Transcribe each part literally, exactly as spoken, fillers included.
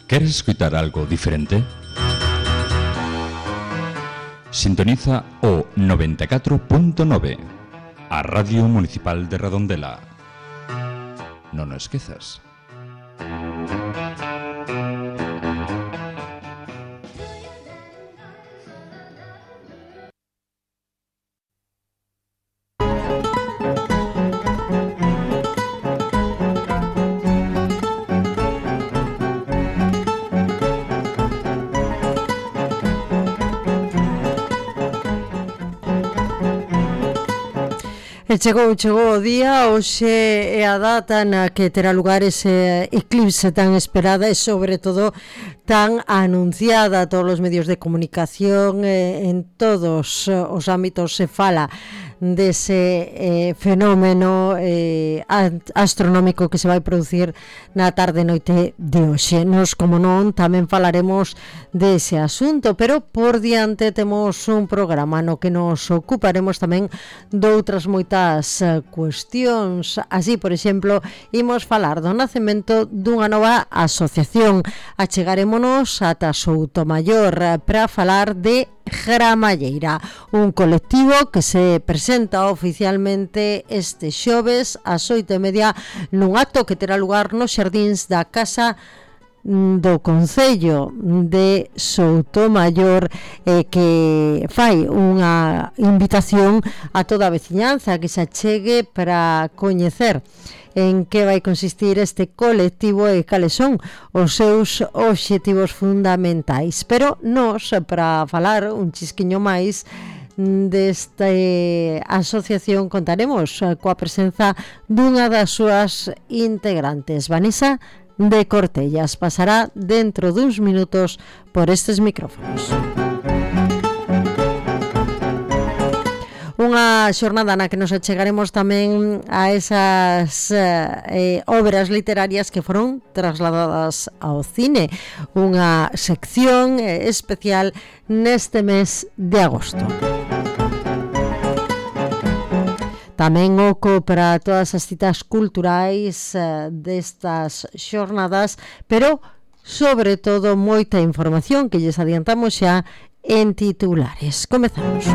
¿Queres escuchar algo diferente? Sintoniza o noventa e catro punto nove, a Radio Municipal de Redondela. Non o esquezas. E chegou, chegou o día, hoxe é a data na que terá lugar ese eclipse tan esperada e sobre todo tan anunciada a todos os medios de comunicación, eh, en todos os ámbitos se fala dese eh, fenómeno eh, astronómico que se vai producir na tarde e noite de hoxe. Nos, como non, tamén falaremos dese asunto, pero por diante temos un programa no que nos ocuparemos tamén doutras moitas uh, cuestións. Así, por exemplo, imos falar do nacemento dunha nova asociación. Achegarémonos ata Soutomaior uh, para falar de Gramalleira, un colectivo que se presenta oficialmente este xoves ás oito e media nun acto que terá lugar nos xardíns da Casa do Concello de Soutomaior, eh, que fai unha invitación a toda a veciñanza que se achegue para coñecer en que vai consistir este colectivo e cales son os seus obxectivos fundamentais. Pero nos, para falar un chisquiño máis desta asociación, contaremos coa presenza dunha das súas integrantes, Vanessa de Cortellas. Pasará dentro duns minutos por estes micrófonos. Unha xornada na que nos achegaremos tamén a esas eh, obras literarias que foron trasladadas ao cine, unha sección eh, especial neste mes de agosto. Tamén oco para todas as citas culturais eh, destas xornadas, pero sobre todo moita información que lles adiantamos xa en titulares. Comezamos.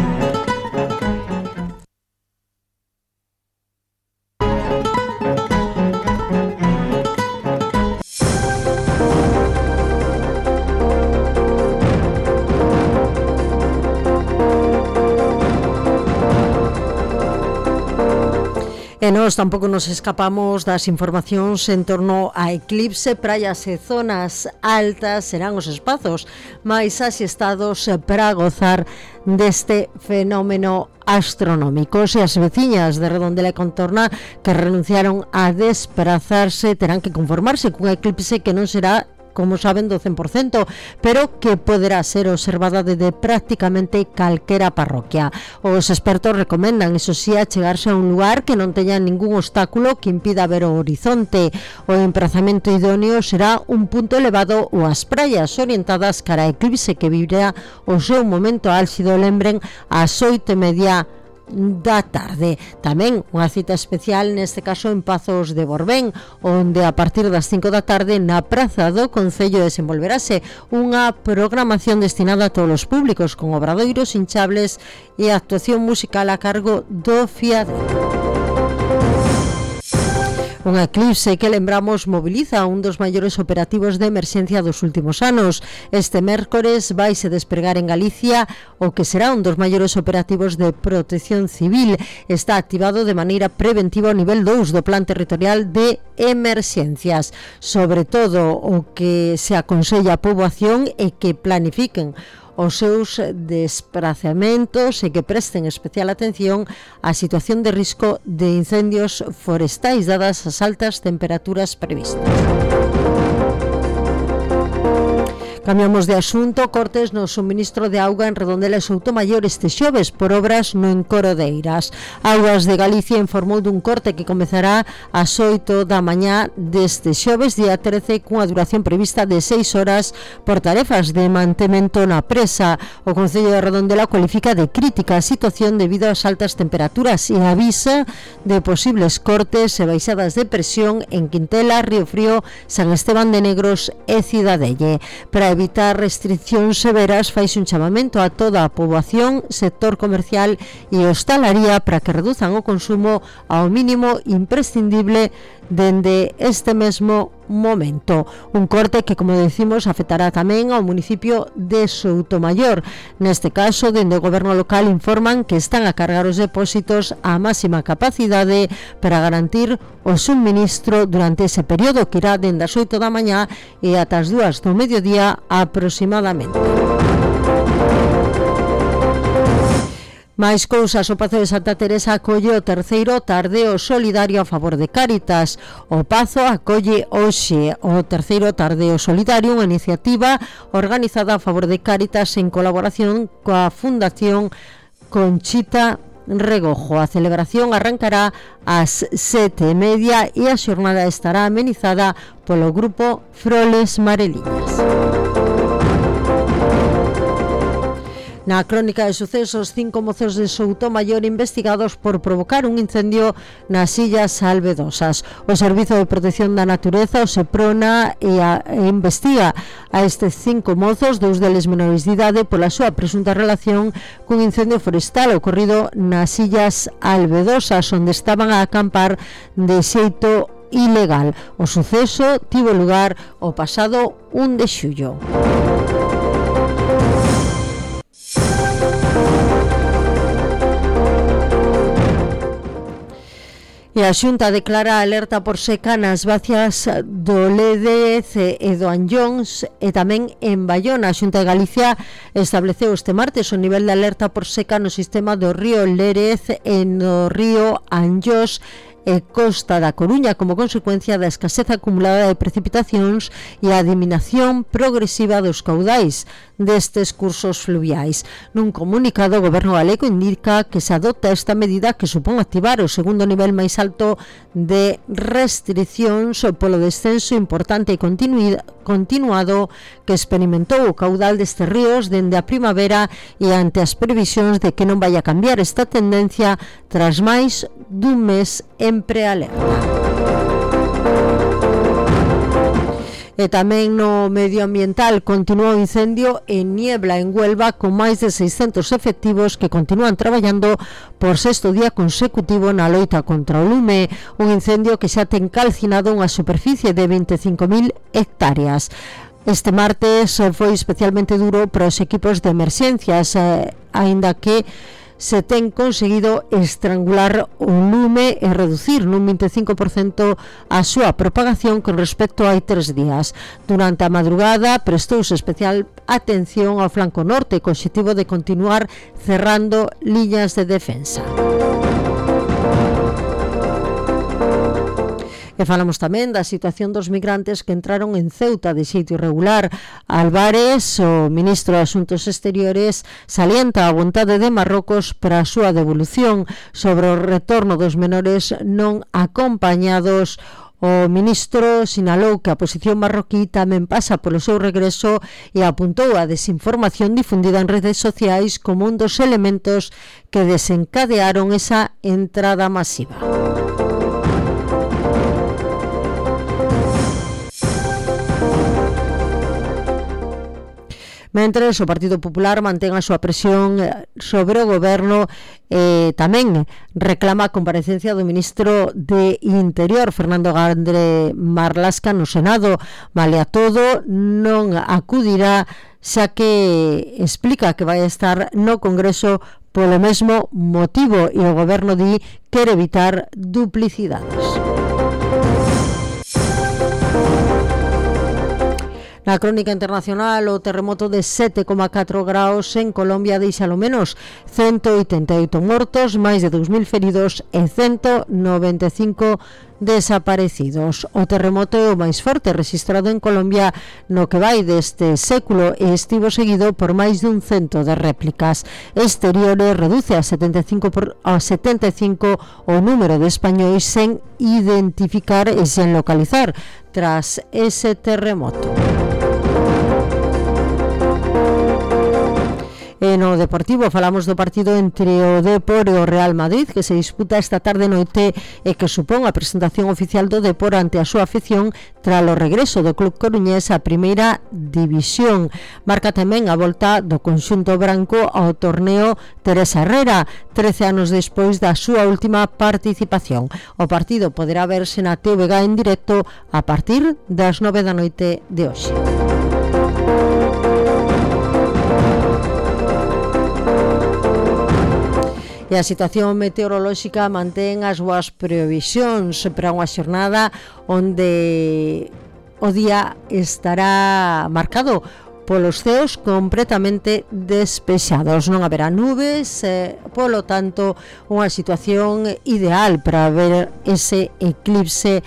E nós tampouco nos escapamos das informacións en torno a eclipse. Praias e zonas altas serán os espazos máis asestados para gozar deste fenómeno astronómico. E as veciñas de Redondela e contorna que renunciaron a desplazarse terán que conformarse cun eclipse que non será, como saben, do cen por cento, pero que poderá ser observada desde prácticamente calquera parroquia. Os expertos recomendan, iso sí, achegarse a un lugar que non teña ningún obstáculo que impida ver o horizonte. O emprazamento idóneo será un punto elevado ou as praias orientadas cara a eclipse que vivirá o seu momento álxido, lembren, ás oito e media da tarde. Tamén unha cita especial neste caso en Pazos de Borbén, onde a partir das cinco da tarde na Praza do Concello desenvolverase unha programación destinada a todos os públicos con obradoiros hinchables e actuación musical a cargo do Fiadero. Un eclipse que, lembramos, moviliza un dos maiores operativos de emerxencia dos últimos anos. Este mércores vaise despregar en Galicia o que será un dos maiores operativos de protección civil. Está activado de maneira preventiva ao nivel dous do Plan Territorial de Emerxencias. Sobre todo, o que se aconsella a poboación é que planifiquen os seus desprazamentos e que presten especial atención á situación de risco de incendios forestais dadas as altas temperaturas previstas. Cambiamos de asunto. Cortes no suministro de auga en Redondela e Soutomaior este xoves por obras no encoro de Eiras. Augas de Galicia informou dun corte que comezará ás oito da mañá deste xoves, día trece, cunha duración prevista de seis horas por tarefas de mantemento na presa. O Concello de Redondela cualifica de crítica a situación debido ás altas temperaturas e avisa de posibles cortes e baixadas de presión en Quintela, Río Frío, San Esteban de Negros e Cidadelle. Para evitar restriccións severas, faise un chamamento a toda a poboación, sector comercial e hostalaría para que reduzan o consumo ao mínimo imprescindible dende este mesmo momento. Un corte que, como decimos, afectará tamén ao municipio de Soutomaior. Neste caso, dende o goberno local informan que están a cargar os depósitos á máxima capacidade para garantir o suministro durante ese período que irá dende as oito da mañá e ata as dúas do mediodía aproximadamente. Máis cousas, o Pazo de Santa Teresa acolle o terceiro tardeo solidario a favor de Cáritas. O Pazo acolle hoxe o terceiro tardeo solidario, unha iniciativa organizada a favor de Cáritas en colaboración coa Fundación Conchita Regojo. A celebración arrancará ás sete e media e a xornada estará amenizada polo grupo Froles Mareliñas. Na crónica de sucesos, cinco mozos de Soutomaior investigados por provocar un incendio nas Illas Albedosas. O Servizo de Protección da Natureza, o SEPRONA, e, a, e investiga a estes cinco mozos, dous deles menores de idade, pola súa presunta relación cun incendio forestal ocorrido nas Illas Albedosas, onde estaban a acampar de xeito ilegal. O suceso tivo lugar o pasado un de xullo. E a Xunta declara alerta por seca nas bacias do Lérez e do Anllóns e tamén en Bayona. A Xunta de Galicia estableceu este martes o nivel de alerta por seca no sistema do río Lérez e no río Anllós e Costa da Coruña como consecuencia da escaseza acumulada de precipitacións e a diminación progresiva dos caudais destes cursos fluviais. Nun comunicado, o Goberno galego indica que se adopta esta medida que supón activar o segundo nivel máis alto de restriccións polo descenso importante e continuado que experimentou o caudal destes ríos dende a primavera e ante as previsións de que non vai a cambiar esta tendencia tras máis dun mes en prealerta. E tamén no medioambiental continúa o incendio en Niebla, en Huelva, con máis de seiscentos efectivos que continúan traballando por sexto día consecutivo na loita contra o lume, un incendio que xa ten calcinado unha superficie de veinticinco mil hectáreas. Este martes foi especialmente duro para os equipos de emerxencias, eh, aínda que se ten conseguido estrangular o lume e reducir nun veinticinco por cento a súa propagación con respecto a hai tres días. Durante a madrugada prestouse especial atención ao flanco norte co obxectivo de continuar cerrando liñas de defensa. E falamos tamén da situación dos migrantes que entraron en Ceuta de xeito irregular. Álvarez, o ministro de Asuntos Exteriores, salienta a vontade de Marrocos para a súa devolución. Sobre o retorno dos menores non acompañados, o ministro sinalou que a posición marroquí tamén pasa polo seu regreso e apuntou a desinformación difundida en redes sociais como un dos elementos que desencadearon esa entrada masiva. Mentres, o Partido Popular mantén a súa presión sobre o goberno e eh, tamén reclama a comparecencia do ministro de Interior, Fernando Gandre Marlasca, no Senado. Vale a todo, non acudirá, xa que explica que vai estar no Congreso polo mesmo motivo e o goberno di quere evitar duplicidades. Na crónica internacional, o terremoto de sete coma catro graus en Colombia deixa ao menos ciento oitenta e oito mortos, máis de dous mil feridos e ciento noventa e cinco desaparecidos. O terremoto é o máis forte registrado en Colombia no que vai deste século e estivo seguido por máis dun cento de réplicas exteriores. Reduce a setenta e cinco por, a setenta e cinco o número de españois sen identificar e sen localizar tras ese terremoto. E no Deportivo falamos do partido entre o Depor e o Real Madrid, que se disputa esta tarde noite e que supón a presentación oficial do Depor ante a súa afición tras o regreso do club coruñés á primeira división. Marca tamén a volta do conxunto branco ao torneo Teresa Herrera, trece anos despois da súa última participación. O partido poderá verse na T V G en directo a partir das nove da noite de hoxe. E a situación meteorolóxica mantén as súas previsións para unha xornada onde o día estará marcado polos ceos completamente despexados. Non haberá nubes, eh, polo tanto, unha situación ideal para ver ese eclipse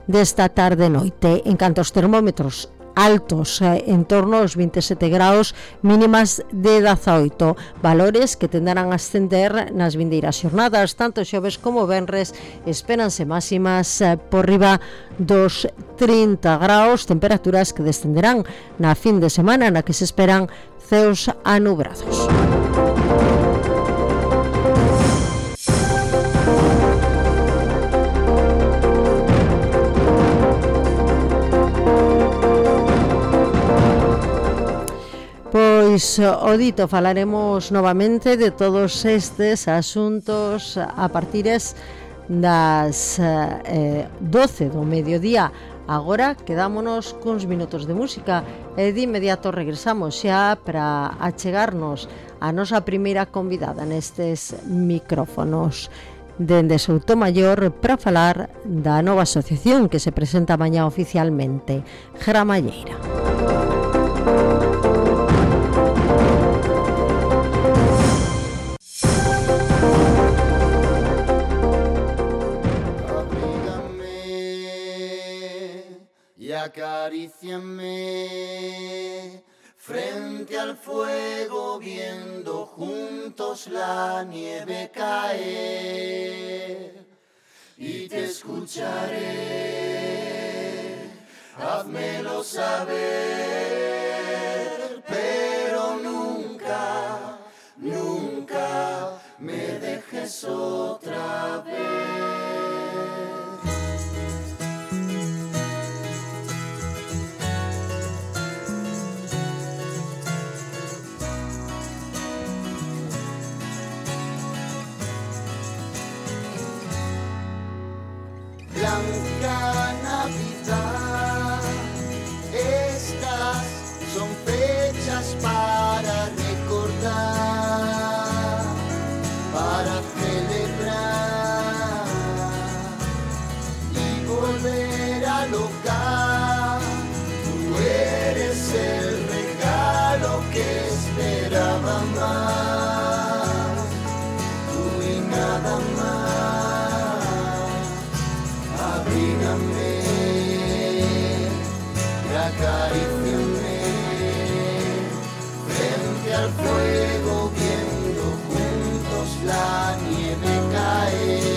desta tarde-noite. En canto aos termómetros, altos, eh, en torno aos vinte e sete graus, mínimas de dezaoito, valores que tenderán a ascender nas vindeiras xornadas. Tanto xoves como venres espéranse máximas eh, por riba dos trinta graus, temperaturas que descenderán na fin de semana na que se esperan ceos anubrados. Pois o dito, falaremos novamente de todos estes asuntos a partires das eh, doce do mediodía. Agora quedámonos cuns minutos de música e de inmediato regresamos xa para achegarnos a nosa primeira convidada nestes micrófonos dende Soutomaior para falar da nova asociación que se presenta mañá oficialmente, Gramalleira. Acaríciame frente al fuego, viendo juntos la nieve caer, y te escucharé, házmelo saber, pero nunca, nunca me dejes otra vez. Blanca Navidad, estas son fechas para recordar, para celebrar y volver al hogar. Tú eres el regalo que esperaba más, tú y nada más. Abrígame y acaríciame frente al fuego, viendo juntos la nieve caer.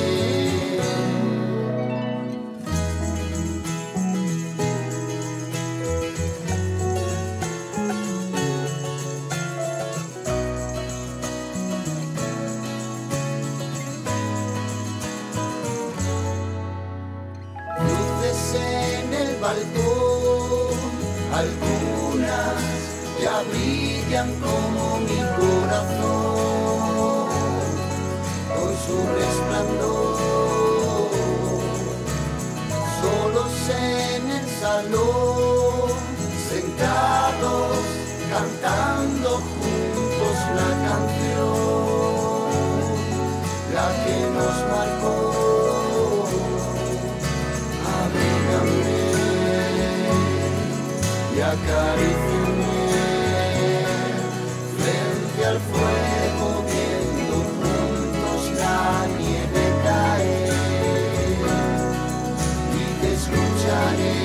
En el balcón, algunas ya brillan como mi corazón, con su resplandor. Solos en el salón, sentados, cantando juntos la canción, la que nos marcó. Abrígame y acaríciame frente al fuego, viendo juntos la nieve caer, y te escucharé,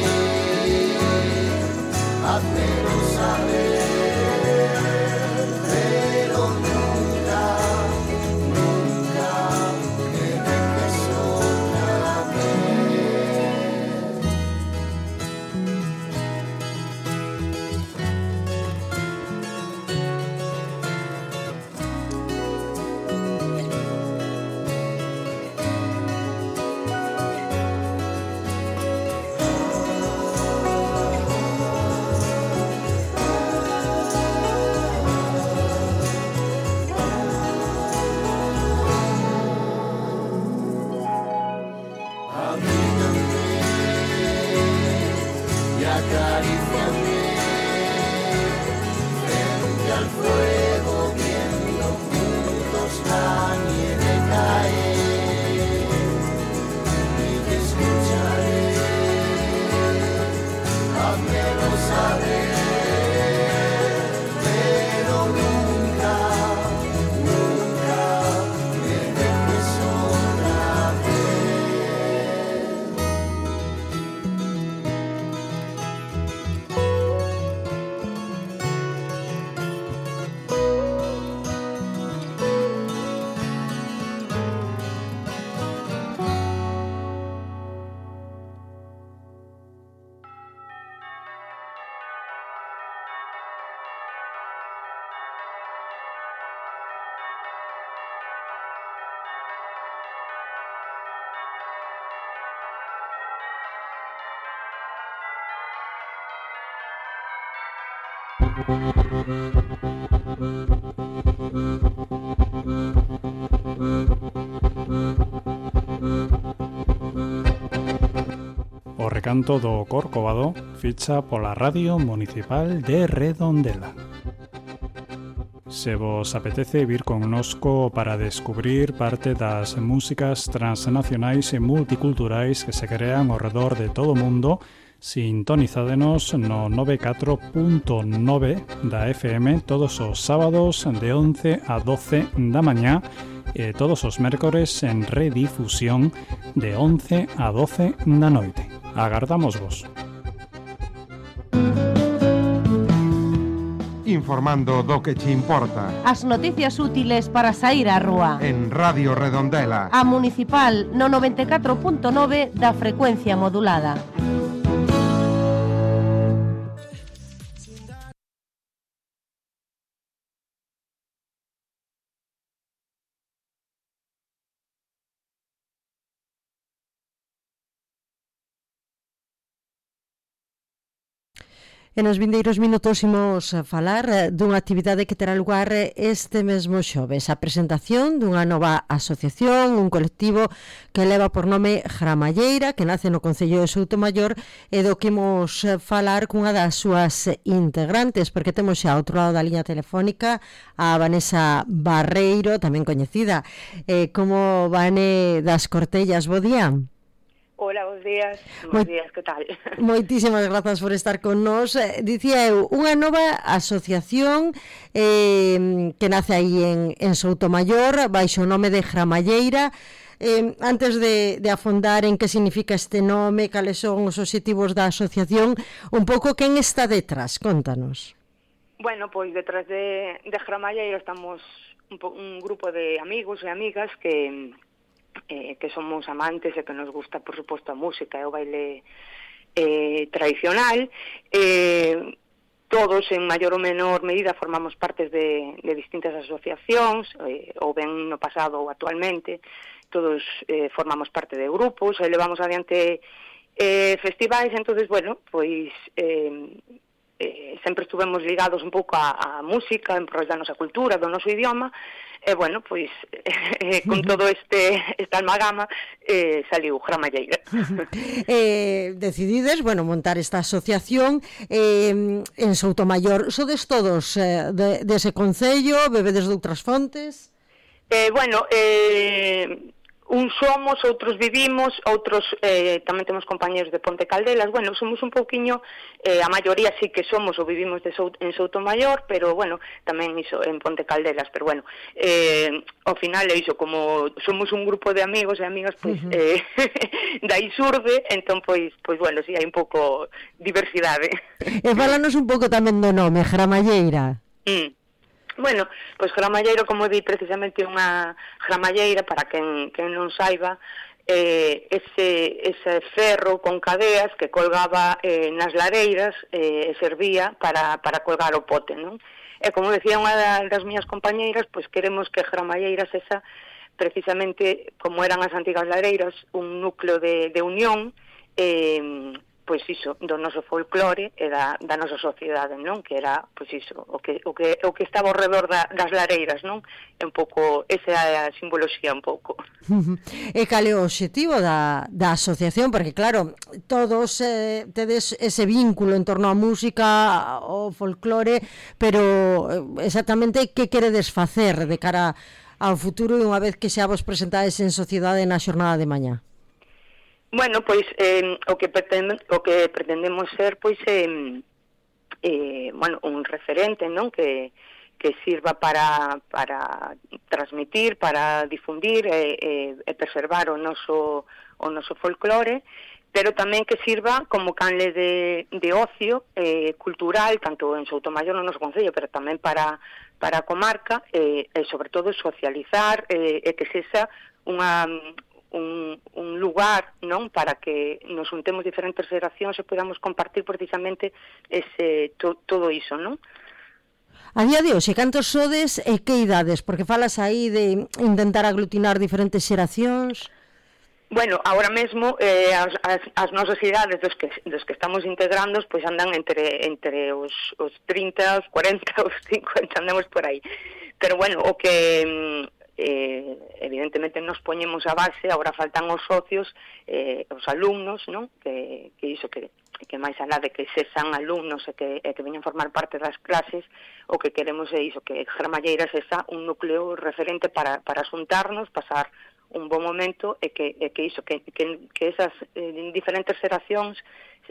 házmelo saber, pero nunca, nunca me dejes otra vez. Y acaríciame frente al fuego, viendo juntos la nieve caer, y te escucharé, házmelo saber, pero nunca, nunca me dejes otra vez. O recanto do Corcovado ficha pola Radio Municipal de Redondela. Se vos apetece vir connosco para descubrir parte das músicas transnacionais e multiculturais que se crean ao redor de todo o mundo, sintonizádenos no noventa e catro punto nove da F M todos os sábados de once a doce da mañá e todos os mércores en redifusión de once a doce da noite. Agardámosvos. Informando do que che importa. As noticias útiles para saír á rúa. En Radio Redondela. A Municipal no noventa e catro punto nove da frecuencia modulada. E nos vindeiros minutos imos falar dunha actividade que terá lugar este mesmo xoves, a presentación dunha nova asociación, un colectivo que leva por nome Gramalleira, que nace no Concello de Soutomaior, e do que imos falar cunha das súas integrantes, porque temos xa ao outro lado da liña telefónica a Vanessa Barreiro, tamén coñecida eh, como Vane das Cortellas. Bo día. Hola, bons días. Moi, Bons días, que tal? Moitísimas grazas por estar con nós. Dicía eu, unha nova asociación eh, que nace aí en, en Soutomaior, baixo o nome de Gramalleira. Eh, antes de, de afondar en que significa este nome, cales son os obxectivos da asociación, un pouco quen está detrás, contanos. Bueno, pois detrás de, de Gramalleira estamos un, po, un grupo de amigos e amigas que... Eh, que somos amantes e que nos gusta, por suposto, a música e o baile eh, tradicional. Eh, todos, en maior ou menor medida, formamos partes de, de distintas asociacións, eh, ou ben no pasado ou actualmente. Todos eh, formamos parte de grupos e levamos adiante eh, festivais. Entonces, bueno, pois... Eh, Eh, sempre estuvemos ligados un pouco á, á música, en prol da nosa cultura, do noso idioma, e, bueno, pois, eh, con todo este esta almagama, eh, saliu Gramalleira. eh, decidides, bueno, montar esta asociación eh, en Soutomaior. Sodes todos eh, de, de ese concello, bebedes de outras fontes? Eh, bueno, eh... uns somos, outros vivimos, outros eh, tamén temos compañeros de Ponte Caldelas. Bueno, somos un pouquiño, eh, a maioría sí que somos ou vivimos de Sout en Soutomaior, pero bueno, tamén iso en Ponte Caldelas, pero bueno, eh, ao final é iso, como somos un grupo de amigos e amigas, pois uh -huh. eh, dai surde, entón pois, pois bueno, si sí, hai un pouco diversidade. E fálanos un pouco tamén do nome, Gramalleira. Mm. Bueno, pois Gramalleiro, como di, precisamente unha gramalleira, para quen, quen non saiba, eh, ese, ese ferro con cadeas que colgaba eh, nas lareiras eh, e servía para, para colgar o pote, non? E como decía unha das miñas compañeiras, pois queremos que Gramalleira esa, precisamente, como eran as antigas lareiras, un núcleo de, de unión, eh, pois iso, do noso folclore e da, da nosa sociedade, non? Que era, pois iso, o que, o que, o que estaba ao redor da, das lareiras, non? É un pouco, esa é a simboloxía un pouco. E cal é o obxectivo da, da asociación? Porque claro, todos eh, tedes ese vínculo en torno á música, ao folclore, pero exactamente que queredes facer de cara ao futuro e unha vez que xa vos presentades en sociedade na xornada de mañá? Bueno, pois eh, o que pretende, o que pretendemos ser pois eh, eh, bueno, un referente, non, que que sirva para para transmitir, para difundir e, e, e preservar o noso o noso folclore, pero tamén que sirva como canle de, de ocio eh, cultural, tanto en Soutomaior no noso concello, pero tamén para para a comarca, eh, e sobre todo socializar eh, e que sexa unha Un, un lugar, non, para que nos juntemos diferentes xeracións e podamos compartir precisamente ese to, todo iso, non? A día de hoxe, cantos sodes e que idades? Porque falas aí de intentar aglutinar diferentes xeracións. Bueno, agora mesmo eh, as, as, as nosas idades dos que, dos que estamos integrando pois andan entre entre os, os trinta, os cuarenta, os cincuenta, andamos por aí. Pero bueno, o que eh, evidentemente nos poñemos a base, agora faltan os socios, eh, os alumnos, non? Que, que iso que, que máis alá de que sexan alumnos e que, e que veñan formar parte das clases, o que queremos é iso, que Gramalleira sexa un núcleo referente para, para xuntarnos, pasar un bon momento e que, e que iso, que, que, que esas eh, diferentes xeracións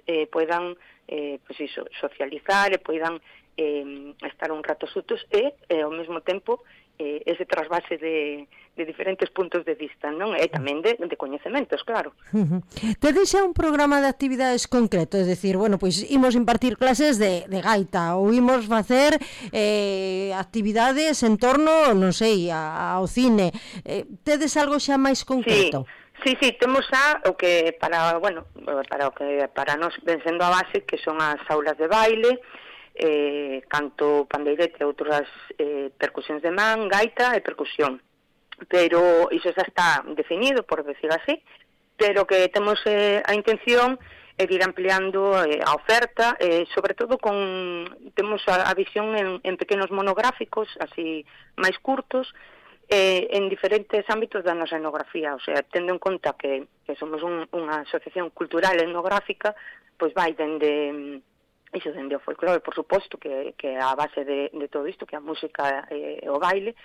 eh, poidan eh, pues iso, socializar e poidan eh, estar un rato xutos e, e ao mesmo tempo eh, ese trasvase de, de diferentes puntos de vista, non? E tamén de, de coñecementos, claro. Uh -huh. Tedes xa un programa de actividades concreto, é dicir, bueno, pois imos impartir clases de, de gaita ou imos facer eh, actividades en torno, non sei, a, ao cine. Eh, tedes algo xa máis concreto? Sí, sí, sí, temos xa o que para, bueno, para o que para nós ven sendo a base, que son as aulas de baile, eh, canto, pandeirete e outras eh, percusións de man, gaita e percusión. Pero iso xa está definido, por decir así, pero que temos eh, a intención é de ir ampliando eh, a oferta, eh, sobre todo con temos a, a visión en, en pequenos monográficos, así máis curtos, eh, en diferentes ámbitos da nosa etnografía, o sea, tendo en conta que, que somos un, unha asociación cultural etnográfica, pois vai dende iso, dende o folclore, por suposto, que, que é a base de, de todo isto, que a música e eh, o baile,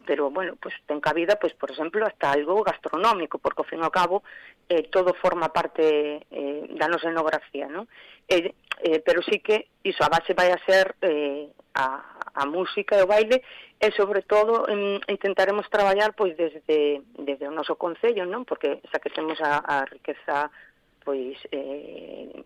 pero, bueno, pues ten cabida, pues, por exemplo, hasta algo gastronómico, porque, ao fin e ao cabo, eh, todo forma parte eh, da nosa etnografía, non? Eh, eh, pero sí que, iso, a base vai a ser eh, a, a música e o baile, e, sobre todo, en, intentaremos traballar, pois, desde, desde o noso concello, non? Porque xa que temos a, a riqueza, pois, eh,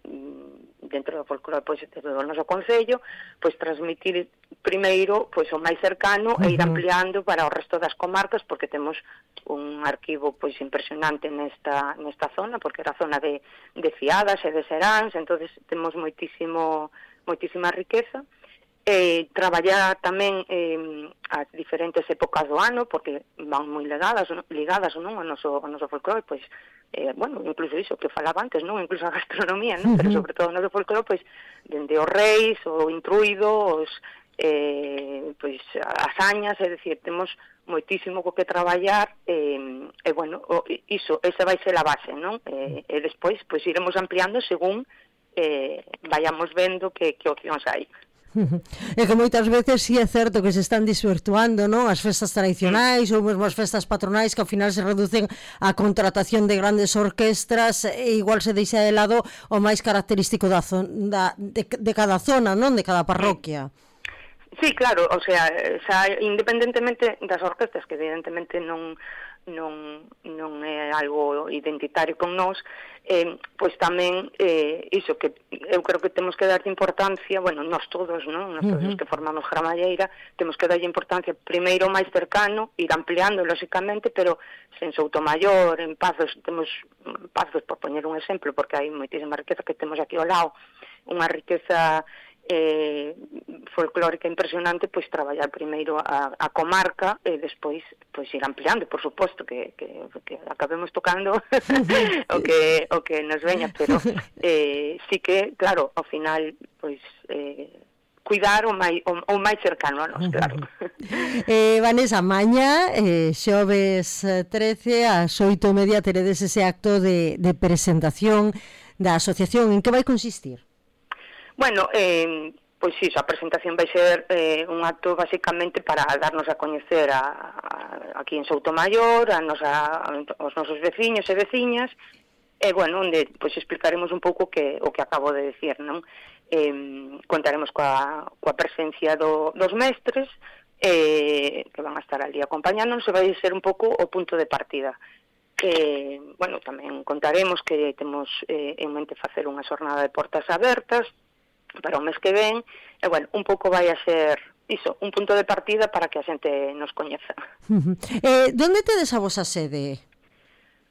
dentro do folclore, pois, desde o noso concello, pois, transmitir primeiro, pois, o máis cercano, uh -huh. e ir ampliando para o resto das comarcas, porque temos un arquivo, pois, impresionante nesta, nesta zona, porque era a zona de, de Fiadas e de Seráns, entonces temos moitísimo, moitísima riqueza. Eh, traballar tamén eh, as diferentes épocas do ano, porque van moi ligadas, ligadas non, ao noso, ao noso folclore, pois, eh, bueno, incluso iso que falaba antes, non, incluso a gastronomía, non, pero sobre todo o noso folclore, pois, dende os reis, o intruido, os, eh, pois, as añas, é dicir, temos moitísimo co que traballar, eh, e, bueno, o, iso, esa vai ser a base, non, e, e despois, pois, iremos ampliando según eh, vayamos vendo que, que opcións hai. É que moitas veces si sí é certo que se están desvirtuando, non? As festas tradicionais ou mesmo as festas patronais que ao final se reducen a contratación de grandes orquestras e igual se deixa de lado o máis característico da zona, de, de cada zona, non? De cada parroquia. Sí, claro, o sea, xa, independentemente das orquestas, que evidentemente non non non é algo identitario con nós, eh, pois tamén eh, iso que eu creo que temos que dar importancia, bueno, nós todos, non? Nós todos uh -huh. os que formamos Gramalleira, temos que darlle importancia primeiro máis cercano, ir ampliando lóxicamente, pero en Soutomaior, en Pazos, temos Pazos por poñer un exemplo, porque hai moitísima riqueza que temos aquí ao lado, unha riqueza eh, folclórica impresionante, pois traballar primeiro a, a comarca e despois pois ir ampliando, por suposto que, que, que acabemos tocando o que o que nos veña, pero eh, sí que, claro, ao final pois eh, cuidar o máis, o, o máis cercano a nos, claro. eh, Vanessa, mañá eh, xoves trece ás oito e media teredes ese acto de, de presentación da asociación. En que vai consistir? Bueno, eh, pois iso, a presentación vai ser eh, un acto basicamente para darnos a coñecer a, a, aquí en Soutomaior, a nosa, aos nosos veciños e veciñas, e, bueno, onde pois explicaremos un pouco que, o que acabo de decir, non? Eh, contaremos coa, coa presencia do, dos mestres, eh, que van a estar ali acompañándonos, e vai ser un pouco o punto de partida. Eh, bueno, tamén contaremos que temos eh, en mente facer unha xornada de portas abertas para o mes que ven, e, bueno, un pouco vai a ser iso, un punto de partida para que a xente nos coñeza. Uh -huh. eh, Donde tedes a vosa sede?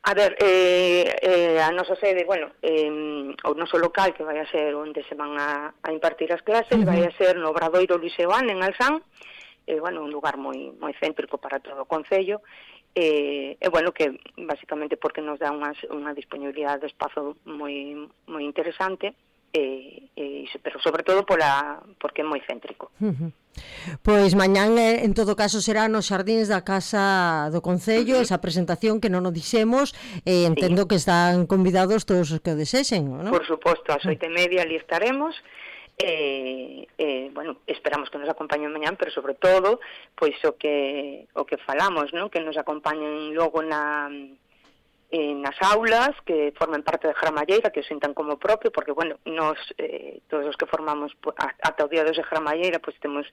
A ver, eh, eh, a nosa sede, bueno, eh, o noso local, que vai a ser onde se van a, a impartir as clases, uh -huh. vai a ser no Obradoiro Luis Eoán, en Alzán, eh, bueno, un lugar moi moi céntrico para todo o concello, e, eh, bueno, que basicamente porque nos dá unha, unha disponibilidade de espazo moi moi interesante, E, e, pero sobre todo pola, porque é moi céntrico. Uh -huh. Pois mañán en todo caso será nos xardíns da Casa do Concello, uh -huh. esa presentación que non o dixemos, e entendo sí. que están convidados todos os que o desexen, non? Por suposto, ás oito e media ali estaremos, e, e bueno, esperamos que nos acompañen mañán, pero sobre todo, pois o que o que falamos, non? Que nos acompañen logo na en nas aulas, que formen parte de Gramalleira, que o sintan como propio, porque, bueno, nos, eh, todos os que formamos ata o día dos de Gramalleira, pois temos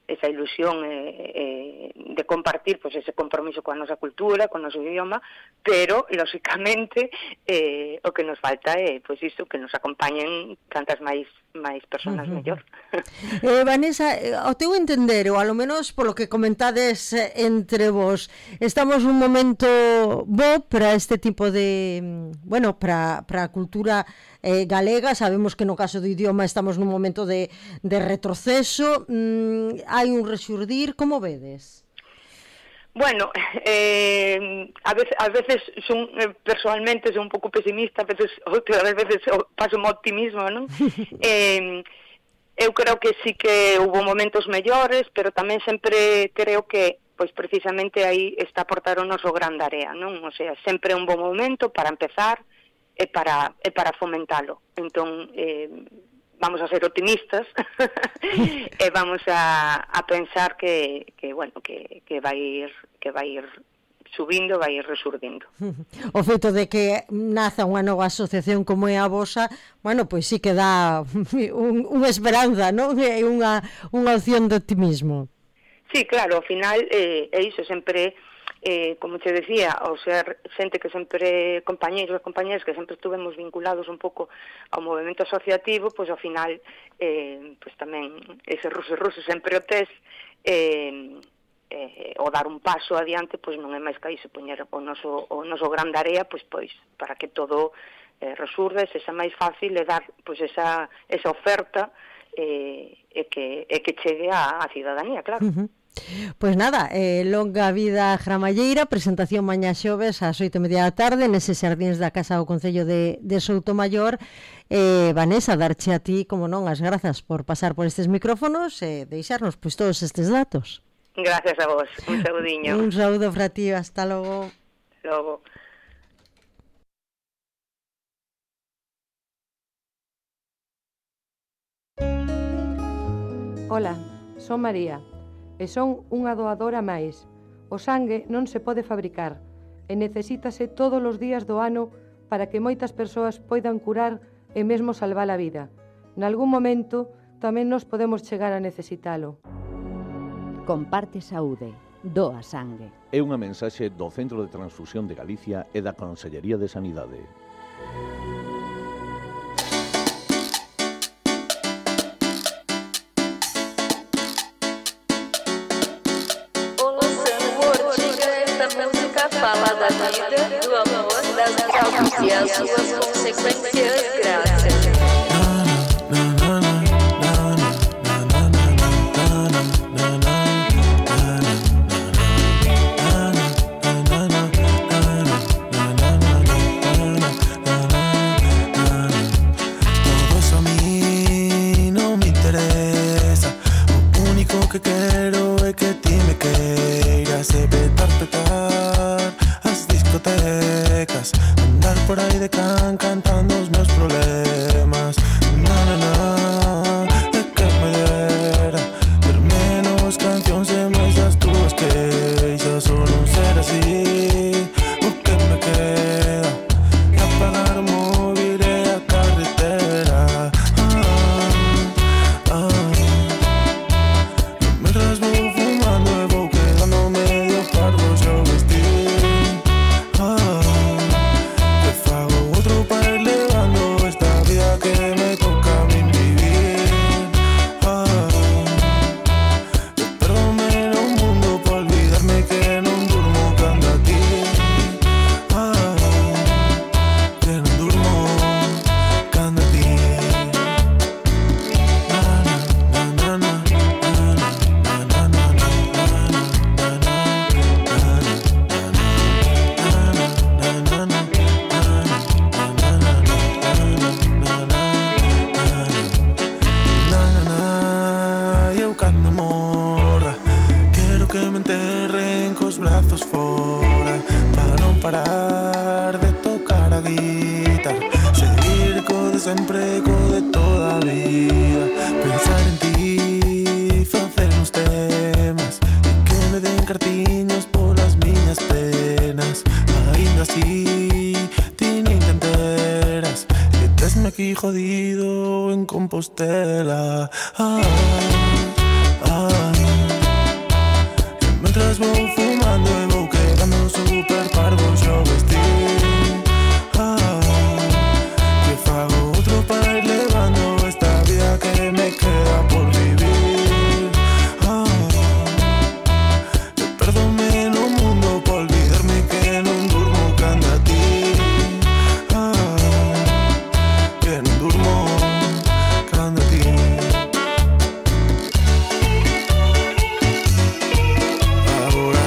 esa ilusión eh, eh, de compartir pois, ese compromiso coa nosa cultura, con o noso idioma, pero, lóxicamente, eh, o que nos falta é, pois iso, que nos acompañen cantas máis máis personas uh -huh. mellor. Eh, Vanessa, ao teu entender, ou alo menos polo que comentades entre vos, estamos nun momento bo para este tipo de, bueno, para, para a cultura eh, galega. Sabemos que no caso do idioma estamos nun momento de, de retroceso, mm, hai un rexurdir, como vedes? Bueno, eh, a veces, a veces son, eh, personalmente son un pouco pesimista, a veces, outras veces paso un optimismo, non? eh, eu creo que sí que hubo momentos mellores, pero tamén sempre creo que, pois precisamente aí está a portar o noso gran Area, non? O sea, sempre é un bon momento para empezar e para, e para fomentalo. Entón, eh, vamos a ser optimistas e vamos a, a pensar que, que bueno, que, que vai ir que vai ir subindo, vai ir resurdindo. O feito de que naza unha nova asociación como é a vosa, bueno, pois sí que dá un, unha esperanza, non? É unha, unha opción de optimismo. Sí, claro, ao final eh, é iso, sempre Eh, como te decía, ao ser xente que sempre, compañeiros e compañeras que sempre estuvemos vinculados un pouco ao movimento asociativo, pois ao final eh, pois tamén ese ruso ruso sempre o tes, eh, eh, o dar un paso adiante pois non é máis que iso, poñer o noso, o noso gran Area pois, pois para que todo eh, resurda, se xa máis fácil e dar pois esa, esa oferta eh, e, que, e que chegue á, á cidadanía, claro. Uh -huh. Pois nada, eh, longa vida Gramalleira, presentación mañá xoves ás oito e media da tarde neses xardíns da Casa do Concello de, de Soutomaior. eh, Vanessa, darche a ti, como non, as grazas por pasar por estes micrófonos e deixarnos pois todos estes datos. Gracias a vos, un saudiño. Un saúdo para ti, hasta logo. Logo. Ola, son María e son unha doadora máis. O sangue non se pode fabricar e necesítase todos os días do ano para que moitas persoas poidan curar e mesmo salvar a vida. Nalgún momento tamén nos podemos chegar a necesitalo. Comparte saúde, doa sangue. É unha mensaxe do Centro de Transfusión de Galicia e da Consellería de Sanidade. Fala da vida, do amor, das causas e as suas consequências graças. Todo a mí no me interesa. O único que quero é que ti me queiras e petar, petar as discotecas, andar por aí de can cantando os meus problemas. Na, na, na, é que me dera ter menos cancións e máis das túas queixas, ou non ser así. O que me queda é apagar o móvil e a carretera. Ah, ah. Mientras vou fumando e vou quedando medio pardo xa o vestir. Ah, que fago outro para ir levando esta vida que me toca a mí vivir. Ah, eu perdo-me no mundo por olvidarme que non durmo cando a ti. Ah, que non durmo cando a ti. Na, na, na, na, na, na. Eu cando morra quero que me enterren cos brazos fora, para non parar de tocar a guitarra, seguir co de sempre, co de toda a vida, pensar en ti, facer uns temas e que me den cartiños polas miñas penas. Ainda así ti nin te enteras e tesme aquí jodido en Compostela. Ah, ah. E mentras vou fumando e vou quedando super parvo xa o vestir. Ah, que fago outro para ir levando esta vida que me queda por vivir. Ah, eu perdo-me no mundo por olvidarme que non durmo cando a ti. Ah, que non durmo cando a ti. Agora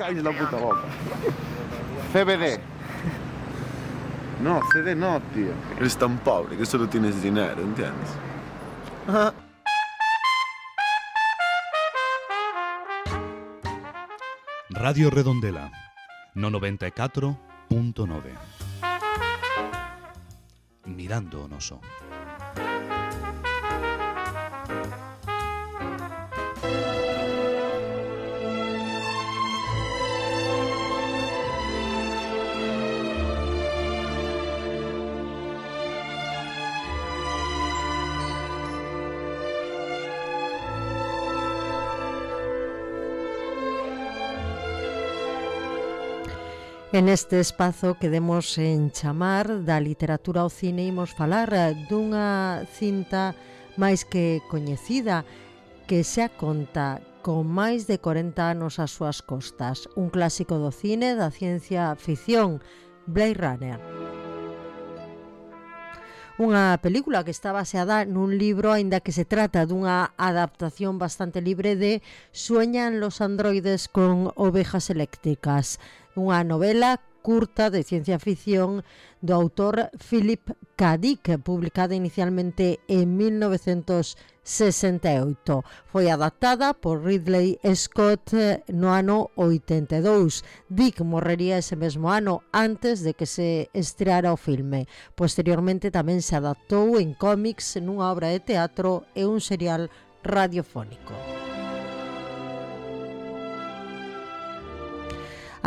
Cállate la puta boca. C B D. No, C D no, tío. Eres tan pobre que solo tienes dinero, ¿entiendes? Ajá. Radio Redondela, no noventa e catro punto nove. Mirando o noso. En este espazo que demos en chamar da literatura ao cine imos falar dunha cinta máis que coñecida que xa conta con máis de corenta anos ás súas costas, un clásico do cine da ciencia ficción, Blade Runner. Unha película que está baseada nun libro, aínda que se trata dunha adaptación bastante libre de Sueñan los androides con ovejas eléctricas, unha novela curta de ciencia ficción do autor Philip K. Dick, publicada inicialmente en mil novecentos sesenta e oito. Foi adaptada por Ridley Scott no ano oitenta e dous. Dick morrería ese mesmo ano antes de que se estreara o filme. Posteriormente tamén se adaptou en cómics, nunha obra de teatro e un serial radiofónico.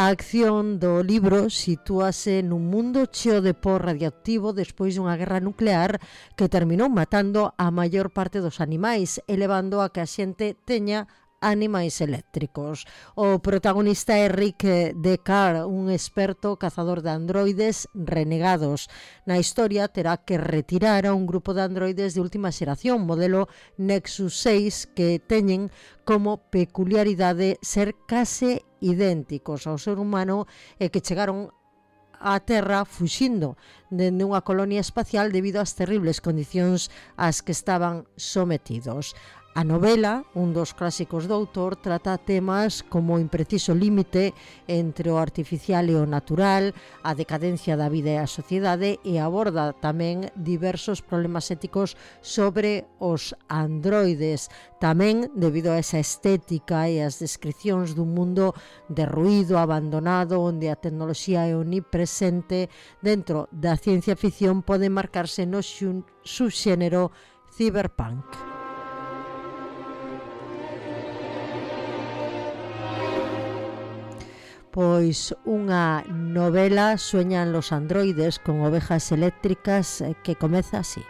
A acción do libro sitúase nun mundo cheo de pó radioactivo despois dunha guerra nuclear que terminou matando a maior parte dos animais, elevando a que a xente teña animais eléctricos. O protagonista é Rick Deckard, un experto cazador de androides renegados. Na historia terá que retirar a un grupo de androides de última xeración, modelo Nexus seis, que teñen como peculiaridade ser case idénticos ao ser humano e que chegaron á Terra fuxindo dende unha colonia espacial debido ás terribles condicións ás que estaban sometidos. A novela, un dos clásicos do autor, trata temas como o impreciso límite entre o artificial e o natural, a decadencia da vida e a sociedade, e aborda tamén diversos problemas éticos sobre os androides. Tamén, debido a esa estética e as descripcións dun mundo derruído, abandonado, onde a tecnoloxía é omnipresente, dentro da ciencia ficción pode marcarse no subxénero cyberpunk. Pois unha novela, Sueñan los androides con ovejas eléctricas, que comeza así.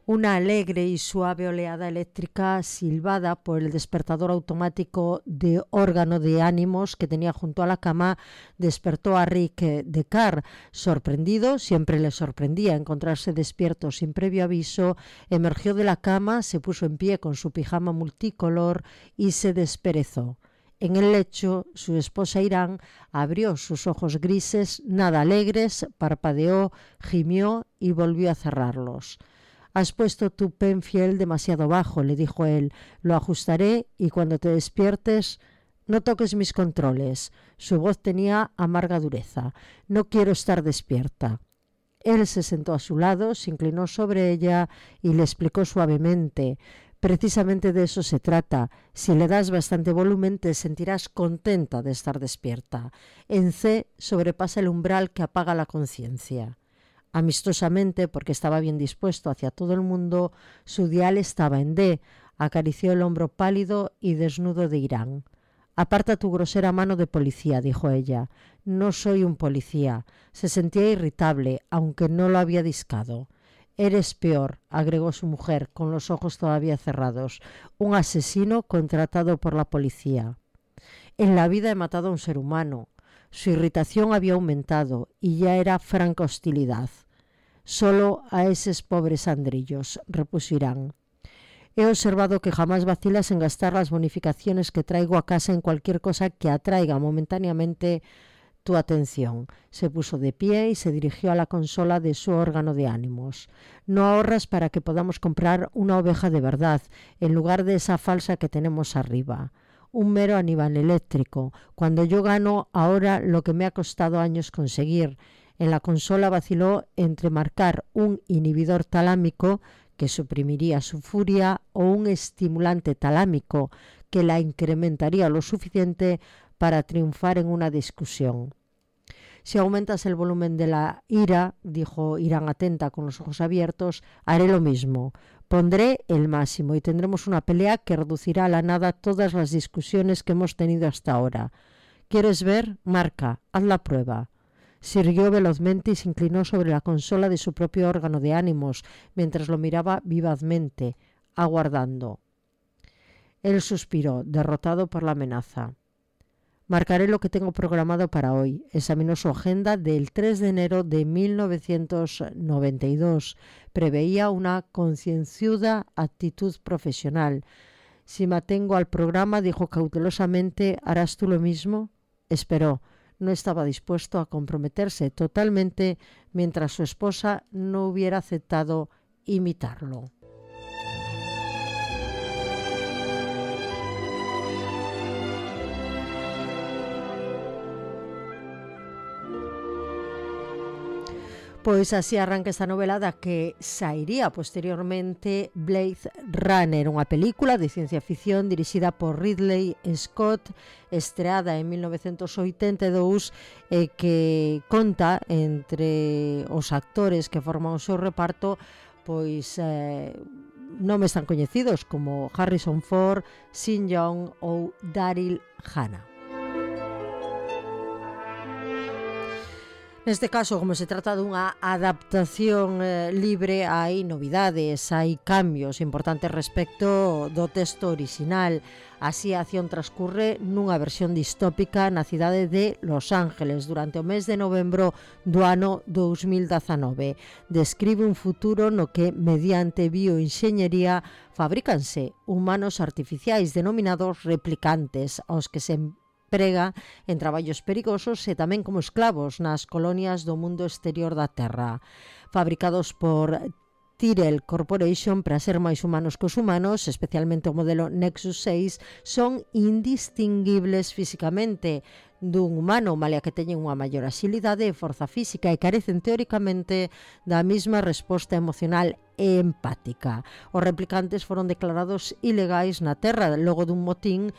Una alegre y suave oleada eléctrica silbada por el despertador automático de órgano de ánimos que tenía junto a la cama despertó a Rick Deckard. Sorprendido, siempre le sorprendía encontrarse despierto sin previo aviso, emergió de la cama, se puso en pie con su pijama multicolor y se desperezó. En el lecho, su esposa Irán abrió sus ojos grises, nada alegres, parpadeó, gimió y volvió a cerrarlos. «Has puesto tu Penfield demasiado bajo», le dijo él. «Lo ajustaré y cuando te despiertes, no toques mis controles». Su voz tenía amarga dureza. «No quiero estar despierta». Él se sentó a su lado, se inclinó sobre ella y le explicó suavemente: «Precisamente de eso se trata. Si le das bastante volumen, te sentirás contenta de estar despierta. En C sobrepasa el umbral que apaga la conciencia». Amistosamente, porque estaba bien dispuesto hacia todo el mundo, su dial estaba en D. Acarició el hombro pálido y desnudo de Irán. «Aparta tu grosera mano de policía», dijo ella. «No soy un policía». Se sentía irritable, aunque no lo había discado. «Eres peor», agregó su mujer, con los ojos todavía cerrados. «Un asesino contratado por la policía». «En la vida he matado a un ser humano». Su irritación había aumentado y ya era franca hostilidad. «Solo a esos pobres andrillos», repuso Irán. «He observado que jamás vacilas en gastar las bonificaciones que traigo a casa en cualquier cosa que atraiga momentáneamente tu atención. Se puso de pie y se dirigió a la consola de su órgano de ánimos. No ahorras para que podamos comprar una oveja de verdad, en lugar de esa falsa que tenemos arriba. Un mero animal eléctrico, cuando yo gano ahora lo que me ha costado años conseguir. En la consola vaciló entre marcar un inhibidor talámico que suprimiría su furia o un estimulante talámico que la incrementaría lo suficiente para triunfar en una discusión. Si aumentas el volumen de la ira, dijo Irán atenta con los ojos abiertos, haré lo mismo. Pondré el máximo y tendremos una pelea que reducirá a la nada todas las discusiones que hemos tenido hasta ahora. ¿Quieres ver? Marca, haz la prueba. Se irguió velozmente y se inclinó sobre la consola de su propio órgano de ánimos, mientras lo miraba vivazmente, aguardando. Él suspiró, derrotado por la amenaza. Marcaré lo que tengo programado para hoy. Examinó su agenda del tres de enero de mil novecientos noventa y dos. Preveía una concienzuda actitud profesional. Si me atengo al programa, dijo cautelosamente, ¿harás tú lo mismo? Esperó. No estaba dispuesto a comprometerse totalmente mientras su esposa no hubiera aceptado imitarlo. Pois así arranca esta novela da que sairía posteriormente Blade Runner, unha película de ciencia ficción dirixida por Ridley Scott, estreada en mil novecentos oitenta e dous, e que conta entre os actores que forman o seu reparto pois eh, nomes tan coñecidos como Harrison Ford, Sean Young ou Daryl Hannah. Neste caso, como se trata dunha adaptación eh, libre, hai novidades, hai cambios importantes respecto do texto original. Así, a acción transcurre nunha versión distópica na cidade de Los Ángeles durante o mes de novembro do ano dous mil dezanove. Describe un futuro no que, mediante bioenxeñería, fabrícanse humanos artificiais denominados replicantes, aos que se prega en traballos perigosos e tamén como esclavos nas colonias do mundo exterior da Terra. Fabricados por Tyrell Corporation para ser máis humanos que os humanos, especialmente o modelo Nexus seis, son indistinguibles físicamente dun humano, malia que teñen unha maior axilidade e forza física e carecen teóricamente da mesma resposta emocional e empática. Os replicantes foron declarados ilegais na Terra logo dun motín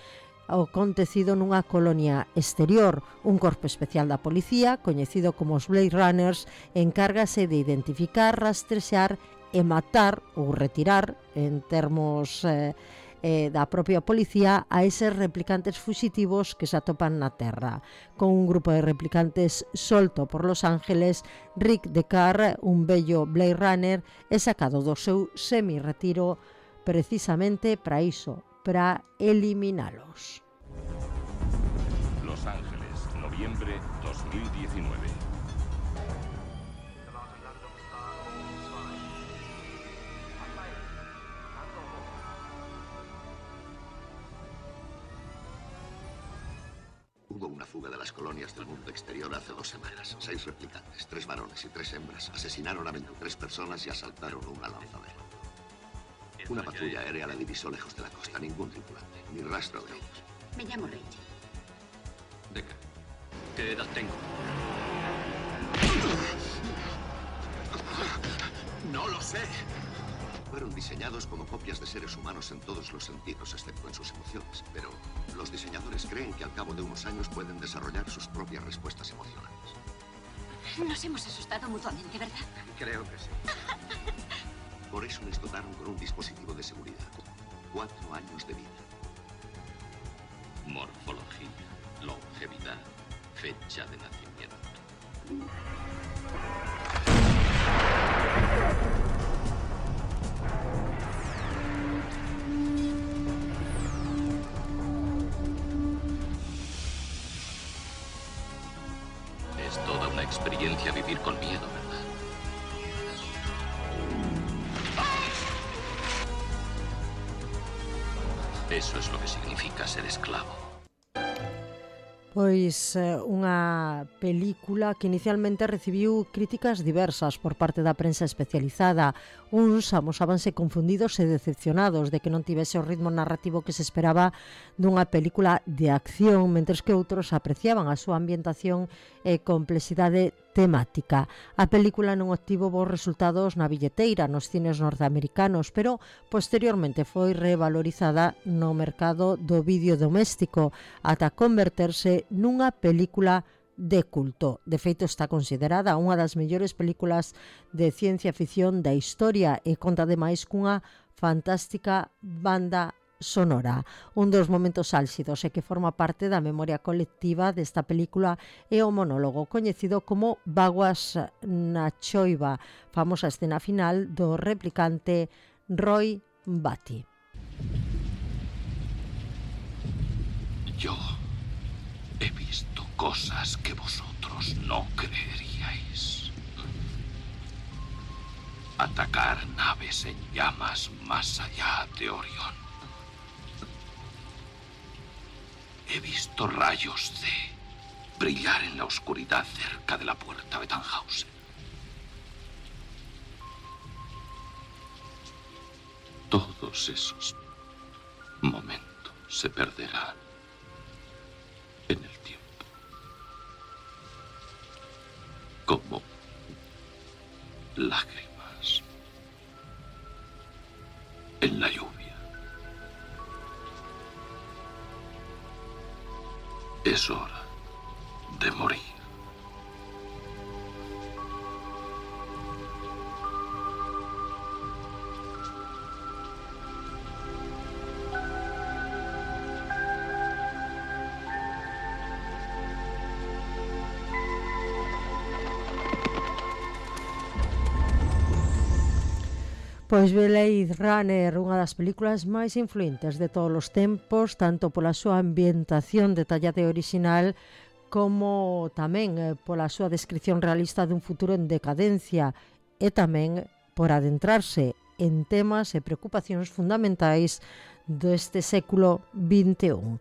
acontecido nunha colonia exterior. Un corpo especial da policía, coñecido como os Blade Runners, encárgase de identificar, rastrexar e matar ou retirar, en termos eh, eh, da propia policía, a eses replicantes fuxitivos que se atopan na Terra. Con un grupo de replicantes solto por Los Ángeles, Rick Deckard, un bello Blade Runner, é sacado do seu semi-retiro precisamente para iso, para eliminalos. Los Ángeles, noviembre dos mil diecinueve. Hubo una fuga de las colonias del mundo exterior hace dos semanas. Seis replicantes, tres varones y tres hembras, asesinaron a veintitrés personas y asaltaron una lanzadera. Una patrulla aérea la divisó lejos de la costa. Ningún tripulante, ni rastro de ellos. Me llamo Rachel. Deckard, ¿qué edad tengo? No lo sé. Fueron diseñados como copias de seres humanos en todos los sentidos, excepto en sus emociones. Pero los diseñadores creen que al cabo de unos años pueden desarrollar sus propias respuestas emocionales. Nos hemos asustado mutuamente, ¿verdad? Creo que sí. Por eso les dotaron con un dispositivo de seguridad. Cuatro años de vida. Morfología, longevidad, fecha de nacimiento. Es toda una experiencia vivir con miedo, ¿verdad? Eso es lo que significa ser esclavo. Pois unha película que inicialmente recibiu críticas diversas por parte da prensa especializada. Uns amosábanse confundidos e decepcionados de que non tivese o ritmo narrativo que se esperaba dunha película de acción, mentres que outros apreciaban a súa ambientación e complexidade temática. A película non obtivo bons resultados na billeteira nos cines norteamericanos, pero posteriormente foi revalorizada no mercado do vídeo doméstico ata converterse nunha película de culto. De feito, está considerada unha das mellores películas de ciencia ficción da historia e conta ademais cunha fantástica banda sonora. Un dos momentos álxidos e que forma parte da memoria colectiva desta película é o monólogo coñecido como Vaguas na choiva, famosa escena final do replicante Roy Batty. Yo he visto cosas que vosotros no creeríais. Atacar naves en llamas más allá de Orión. He visto rayos C brillar en la oscuridad cerca de la puerta de Tannhausen. Todos esos momentos se perderán en el tiempo, como lágrimas en la lluvia. Es hora de morir. Pois Blade Runner, unha das películas máis influentes de todos os tempos, tanto pola súa ambientación detallada e original, como tamén pola súa descripción realista dun futuro en decadencia, e tamén por adentrarse en temas e preocupacións fundamentais deste século vinte e un.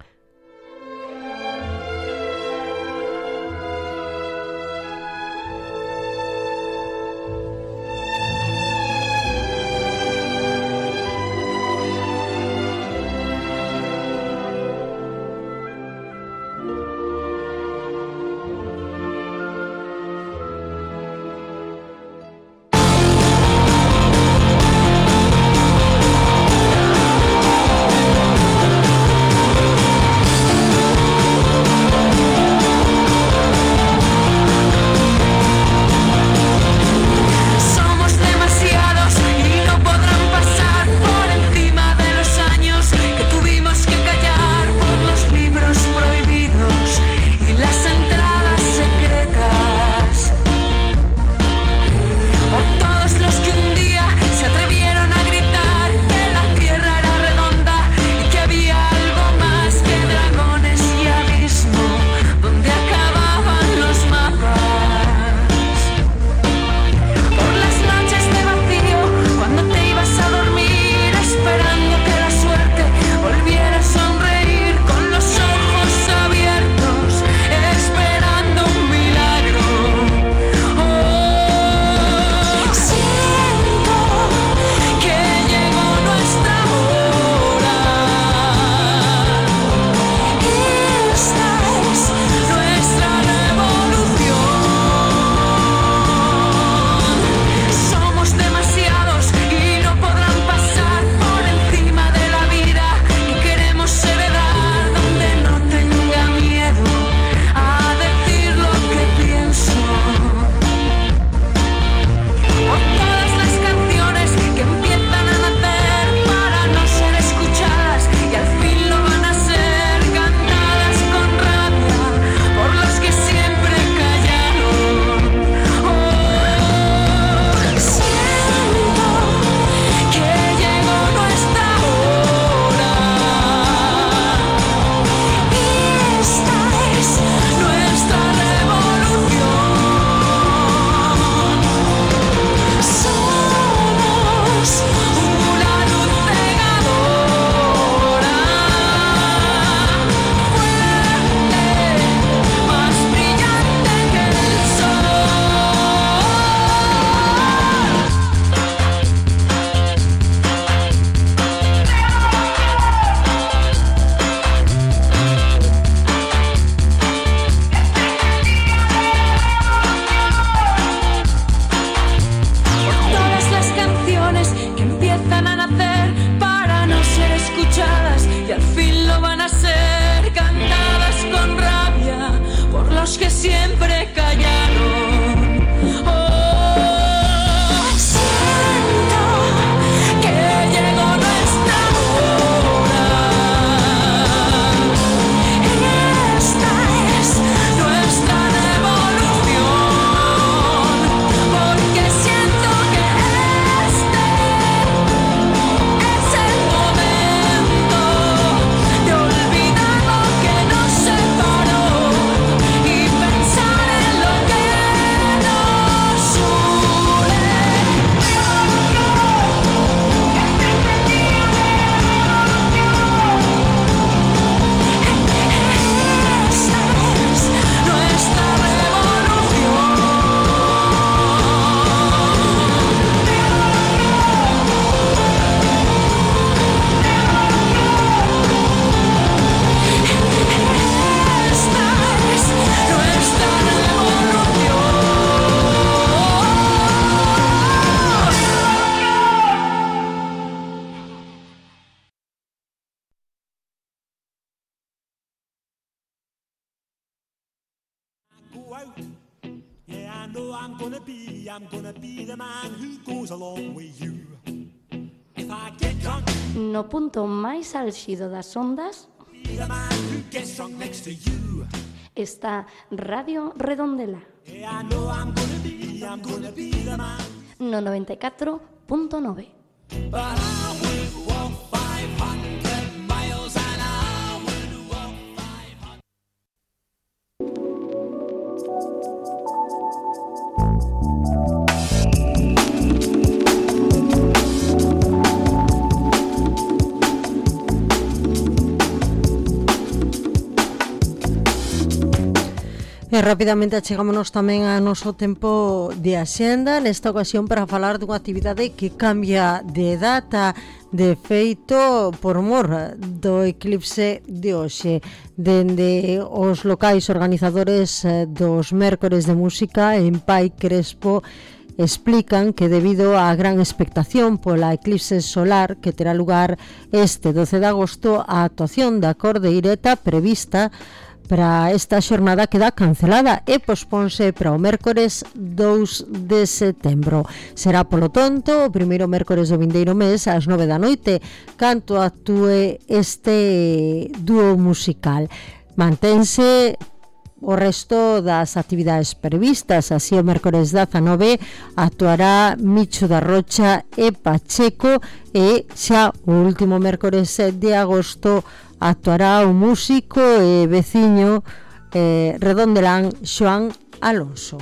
I'm gonna be, I'm gonna be the man who goes along with you. If I get drunk, No punto máis álxido das ondas be the man who gets drunk next to you. está Radio Redondela. Yeah, I know I'm gonna be, I'm gonna be the man. No noventa e catro punto nove. But I would walk five hundred miles and I would walk five hundred. E rapidamente achegámonos tamén a noso tempo de axenda, nesta ocasión para falar dunha actividade que cambia de data, de feito por mor do eclipse de hoxe. Dende os locais organizadores dos mércores de música en Pai Crespo explican que debido á gran expectación pola eclipse solar que terá lugar este doce de agosto, a actuación da cordeireta prevista para esta xornada queda cancelada e posponse para o mércores dous de setembro. Será, polo tonto, o primeiro mércores do vindeiro mes ás nove da noite, canto actúe este dúo musical. Mantense o resto das actividades previstas. Así, o mércores dezanove actuará Micho da Rocha e Pacheco e xa o último mércores de agosto actuará o músico e veciño eh, redondelán Xoán Alonso.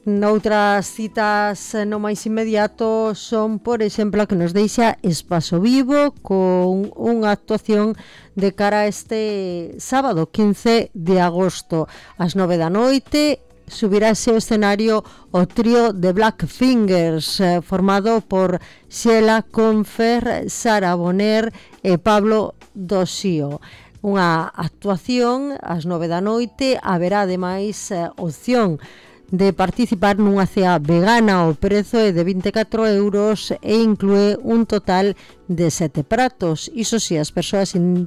Noutras citas no máis inmediato son, por exemplo, a que nos deixa Espazo Vivo con unha actuación de cara a este sábado quince de agosto ás nove da noite. Subirase ao escenario o trío de Black Fingers eh, formado por Xela Confer, Sara Boner e Pablo Dosío. Unha actuación ás nove da noite. Haberá ademais eh, opción de participar nunha cea vegana. O prezo é de vinte e catro euros e inclúe un total de sete pratos. Iso si, as persoas in,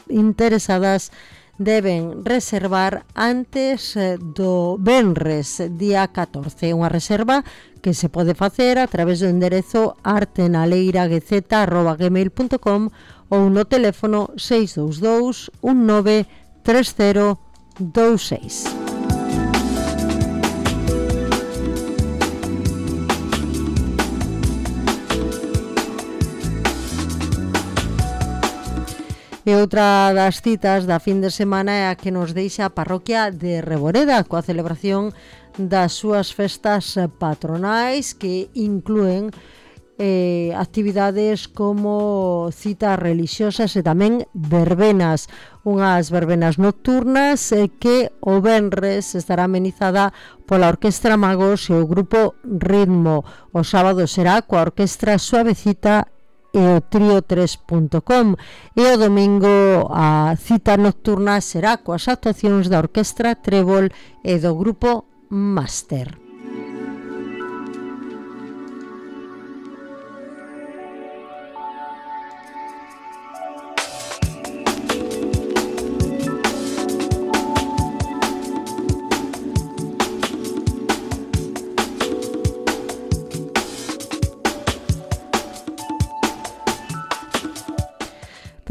interesadas deben reservar antes do venres día catorce. Unha reserva que se pode facer a través do enderezo artenaleiraguezeta arroba gmail punto com ou no teléfono seis dous dous un nove tres cero dous seis. E outra das citas da fin de semana é a que nos deixa a parroquia de Reboreda coa celebración das súas festas patronais que inclúen eh, actividades como citas religiosas e tamén verbenas, unhas verbenas nocturnas eh, que o venres estará amenizada pola Orquestra Magos e o grupo Ritmo. O sábado será coa Orquestra Suavecita e o trío tres punto com e o domingo a cita nocturna será coas actuacións da Orquestra Trébol e do grupo Máster.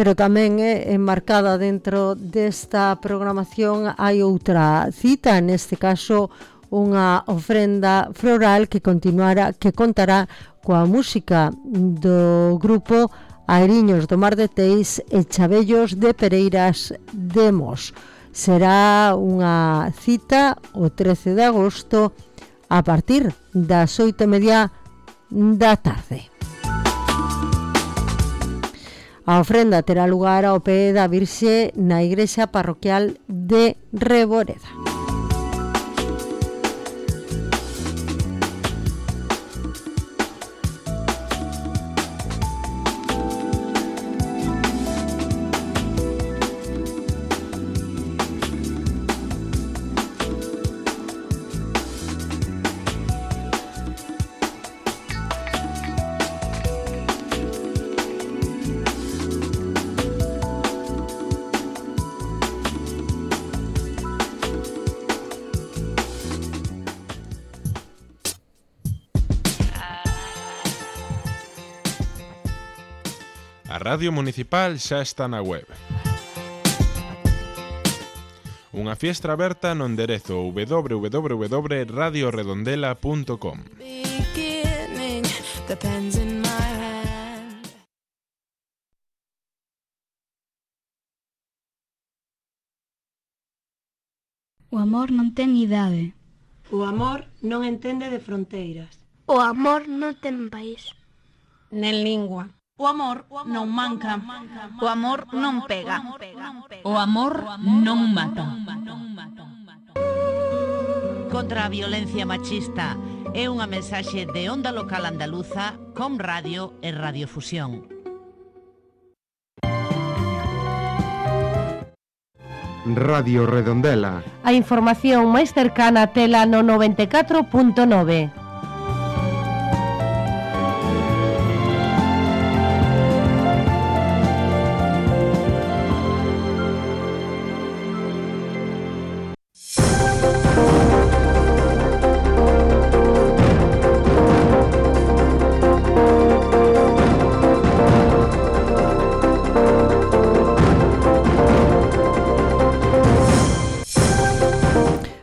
Pero tamén é enmarcada dentro desta programación hai outra cita, neste caso unha ofrenda floral que continuará, que contará coa música do grupo Airiños do Mar de Teis e Chabellos de Pereiras de Mos. Será unha cita o trece de agosto a partir das oito e media da tarde. A ofrenda terá lugar ao pé da Virxe na igrexa parroquial de Reboreda. A Radio Municipal xa está na web. Unha fiestra aberta no enderezo w w w punto radio redondela punto com. O amor non ten idade. O amor non entende de fronteiras. O amor non ten país. Nen lingua. O amor non manca. O amor non pega. O amor non mata. Contra a violencia machista é unha mensaxe de Onda Local Andaluza, Com Radio e Radiofusión. Radio Redondela. A información máis cercana tela no noventa e catro punto nove.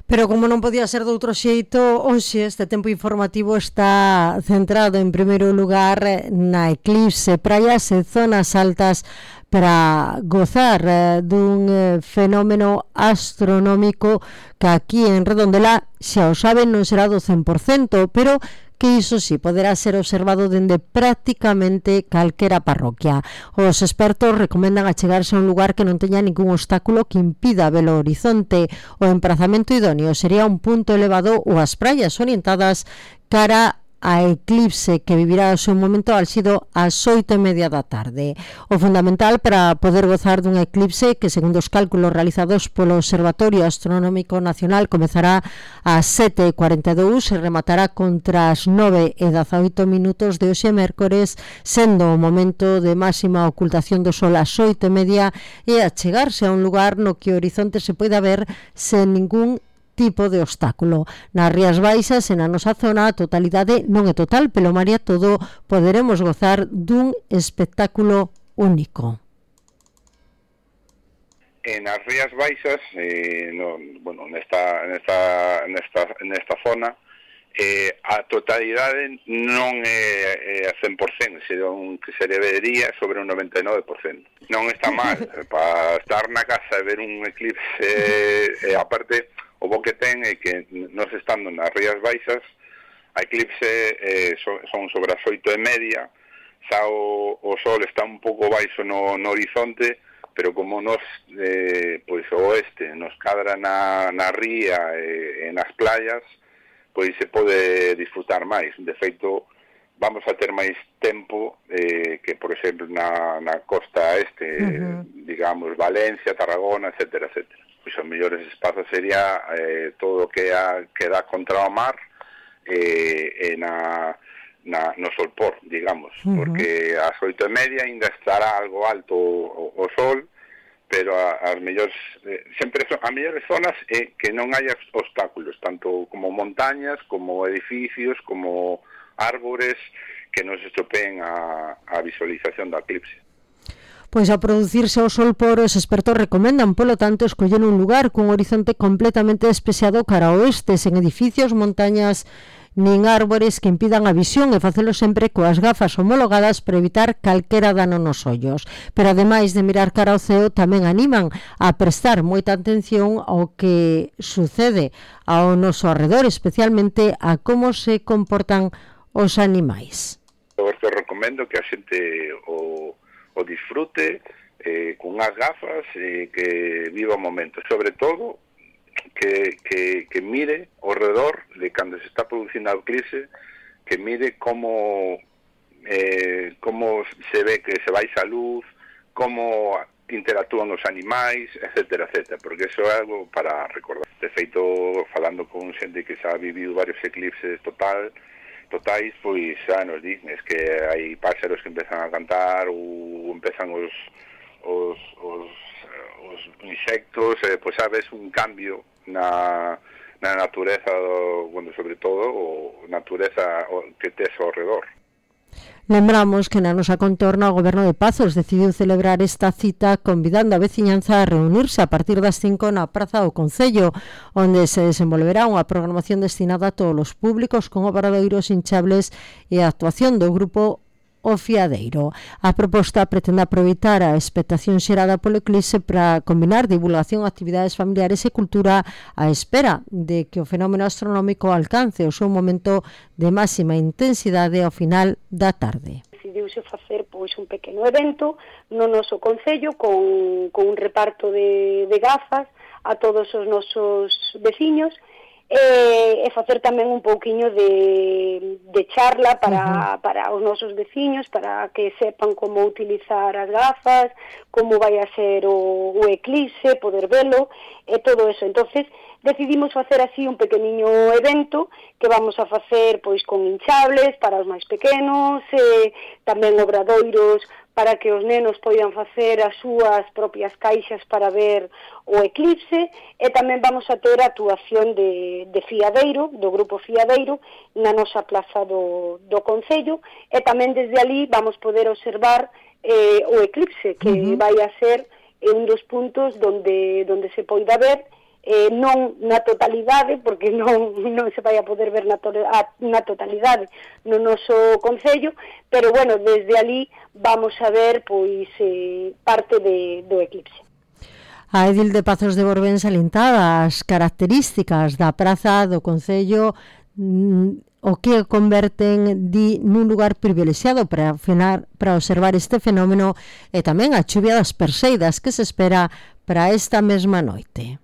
Pero como non podía ser de outro xeito, hoxe este tempo informativo está centrado en primeiro lugar na eclipse, praias e zonas altas para gozar eh, dun eh, fenómeno astronómico que aquí en Redondela, xa o saben, non será do cen por cento, pero que iso sí, poderá ser observado dende prácticamente calquera parroquia. Os expertos recomendan achegarse a un lugar que non teña ningún obstáculo que impida ver o horizonte. O emprazamento idóneo sería un punto elevado ou as praias orientadas cara a eclipse que vivirá o seu momento álxido ás oito e media da tarde. O fundamental para poder gozar dun eclipse que, segundo os cálculos realizados polo Observatorio Astronómico Nacional, comezará ás sete e cuarenta e dous e rematará contra as nove e dezaoito minutos de hoxe mércores, sendo o momento de máxima ocultación do sol ás oito e media, e achegarse a un lugar no que o horizonte se poida ver sen ningún tipo de obstáculo. Nas Rías Baixas e na nosa zona a totalidade non é total, pero María, todo poderemos gozar dun espectáculo único. En as Rías Baixas, eh, no, bueno, nesta, nesta, nesta, nesta zona, eh, a totalidade non é, é a cen por cento, senón que se debería sobre un noventa e nove por cento. Non está mal, para estar na casa e ver un eclipse, e eh, aparte, o bo que ten é que nos estando nas Rías Baixas, a eclipse eh, son, son sobre as oito e media, xa o, o sol está un pouco baixo no, no horizonte, pero como nos, eh, pois o oeste nos cadra na, na ría e, e nas playas, pois se pode disfrutar máis. De feito, vamos a ter máis tempo eh, que, por exemplo, na, na costa este, uh-huh. digamos, Valencia, Tarragona, etcétera, etcétera. Pois os mellores espazos sería eh, todo o que, a, que dá contra o mar eh, e na, na, no solpor, digamos, uh-huh. porque ás oito e media ainda estará algo alto o, o sol, pero a, as mellores, eh, sempre son, as mellores zonas é que non haya obstáculos, tanto como montañas, como edificios, como árbores que nos estropeen a, a visualización da eclipse. Pois a producirse o sol por, os expertos recomendan, polo tanto, escoller un lugar cun horizonte completamente despexado cara ao oeste, sen edificios, montañas nin árbores que impidan a visión, e facelo sempre coas gafas homologadas para evitar calquera dano nos ollos. Pero ademais de mirar cara ao ceo, tamén animan a prestar moita atención ao que sucede ao noso arredor, especialmente a como se comportan os animais. Eu te recomendo que a xente o o disfrute eh, con as gafas e eh, que viva o momento, sobre todo que, que, que mire ao redor de cando se está producindo a eclipse, que mire como eh, como se ve que se baixa a luz, como interactúan os animais, etcétera, etcétera, porque eso é algo para recordar. De feito, falando con xente que xa ha vivido varios eclipses total totais, pois xa nos dicen es que hai páxaros que empezan a cantar ou empezan os os, os, os insectos, eh, pois sabes un cambio na, na natureza, do, bueno, sobre todo o natureza que tes ao redor. Lembramos que na nosa contorna o Goberno de Pazos decidiu celebrar esta cita convidando a veciñanza a reunirse a partir das cinco na Praza do Concello, onde se desenvolverá unha programación destinada a todos os públicos con obradoiros hinchables e a actuación do grupo O Fiadeiro. A proposta pretende aproveitar a expectación xerada polo eclipse para combinar divulgación, actividades familiares e cultura á espera de que o fenómeno astronómico alcance o seu momento de máxima intensidade ao final da tarde. Decidiuse facer pois un pequeno evento no noso concello con, con un reparto de, de gafas a todos os nosos veciños e, e facer tamén un pouquiño de, de charla para, uh-huh. para os nosos veciños, para que sepan como utilizar as gafas, como vai a ser o, o eclipse, poder velo e todo eso. Entonces decidimos facer así un pequeniño evento que vamos a facer pois con hinchables para os máis pequenos, e tamén obradoiros para que os nenos poidan facer as súas propias caixas para ver o eclipse, e tamén vamos a ter a actuación de, de Fiadeiro, do grupo Fiadeiro, na nosa plaza do, do Concello, e tamén desde ali vamos poder observar eh, o eclipse, que uh-huh. vai a ser un dos puntos donde, donde se poida ver, eh, non na totalidade, porque non, non se vai a poder ver na, to na totalidade no noso Concello, pero bueno, desde ali vamos a ver pois eh, parte de, do eclipse. A edil de Pazos de Borbén salientaba as características da praza do Concello, o que converten di nun lugar privilexiado para afinar, para observar este fenómeno, e tamén a chuvia das perseidas que se espera para esta mesma noite.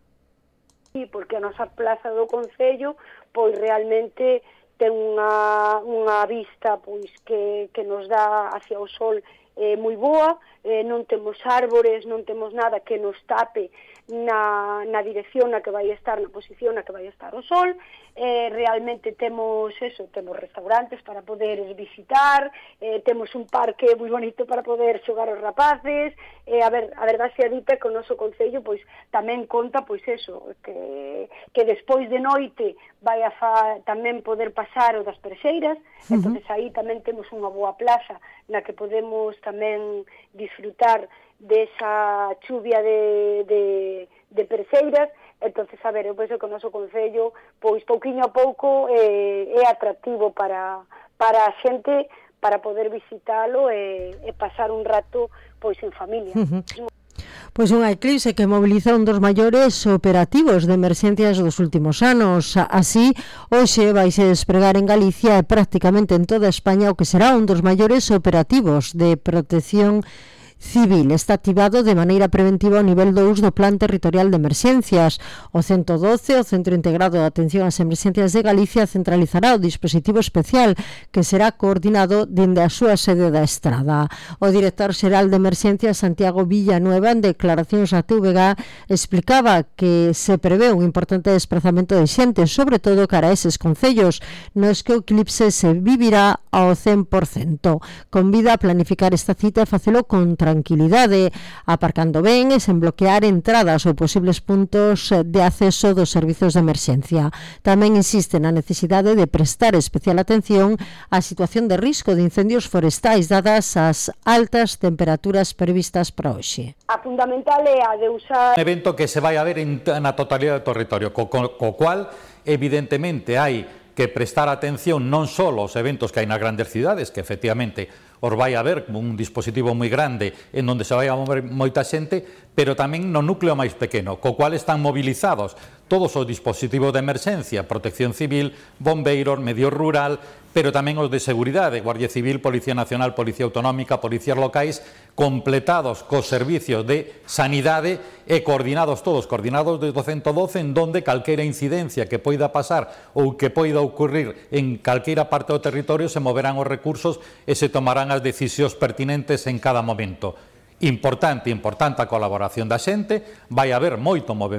Porque a nosa plaza do Concello pois realmente ten unha, unha vista pois que, que nos dá hacia o sol eh, moi boa, eh, non temos árbores, non temos nada que nos tape na, na dirección na que vai estar, na posición na que vai estar o sol. Eh, realmente temos eso, temos restaurantes para poder visitar, eh, temos un parque moi bonito para poder xogar os rapaces, eh, a ver, a verdade se dita que o noso Concello pois tamén conta pois eso, que, que despois de noite vai a fa, tamén poder pasar o das Perseiras, uh-huh. entonces aí tamén temos unha boa plaza na que podemos tamén disfrutar desa chuvia de, de, de Perseiras. Entonces, a ver, eu penso que o noso Concello, pois, pouquiño a pouco, eh, é atractivo para, para a xente, para poder visitalo e, e pasar un rato, pois, en familia. Uh-huh. Pois unha eclipse que moviliza un dos maiores operativos de emerxencias dos últimos anos. Así, hoxe vaise despregar en Galicia e prácticamente en toda España o que será un dos maiores operativos de protección civil. Está activado de maneira preventiva o nivel dous do Plan Territorial de Emerxencias. O ciento doce, o Centro Integrado de Atención ás Emerxencias de Galicia, centralizará o dispositivo especial que será coordinado dende a súa sede da Estrada. O director xeral de Emerxencias, Santiago Villanueva, en declaracións a T V G, explicaba que se prevé un importante desplazamento de xente, sobre todo cara a eses concellos nos que o eclipse se vivirá ao cen por cento. Convida a planificar esta cita e facelo con tranquilidade, aparcando ben e sen bloquear entradas ou posibles puntos de acceso dos servizos de emerxencia. Tamén insiste na necesidade de prestar especial atención á situación de risco de incendios forestais dadas as altas temperaturas previstas para hoxe. A fundamental é a de usar... Un evento que se vai a ver en, na totalidade do territorio, co, co, co cual evidentemente hai que prestar atención non só aos eventos que hai nas grandes cidades, que efectivamente os vai a ver un dispositivo moi grande en onde se vai a mover moita xente, pero tamén no núcleo máis pequeno, co cual están movilizados todos os dispositivos de emerxencia, protección civil, bombeiros, medio rural, pero tamén os de seguridade, Guardia Civil, Policía Nacional, Policía Autonómica, policías locais, completados cos servicios de sanidade e coordinados todos, coordinados desde o ciento doce, en donde calquera incidencia que poida pasar ou que poida ocurrir en calquera parte do territorio se moverán os recursos e se tomarán as decisións pertinentes en cada momento. Importante, importante a colaboración da xente, vai haber moito movimento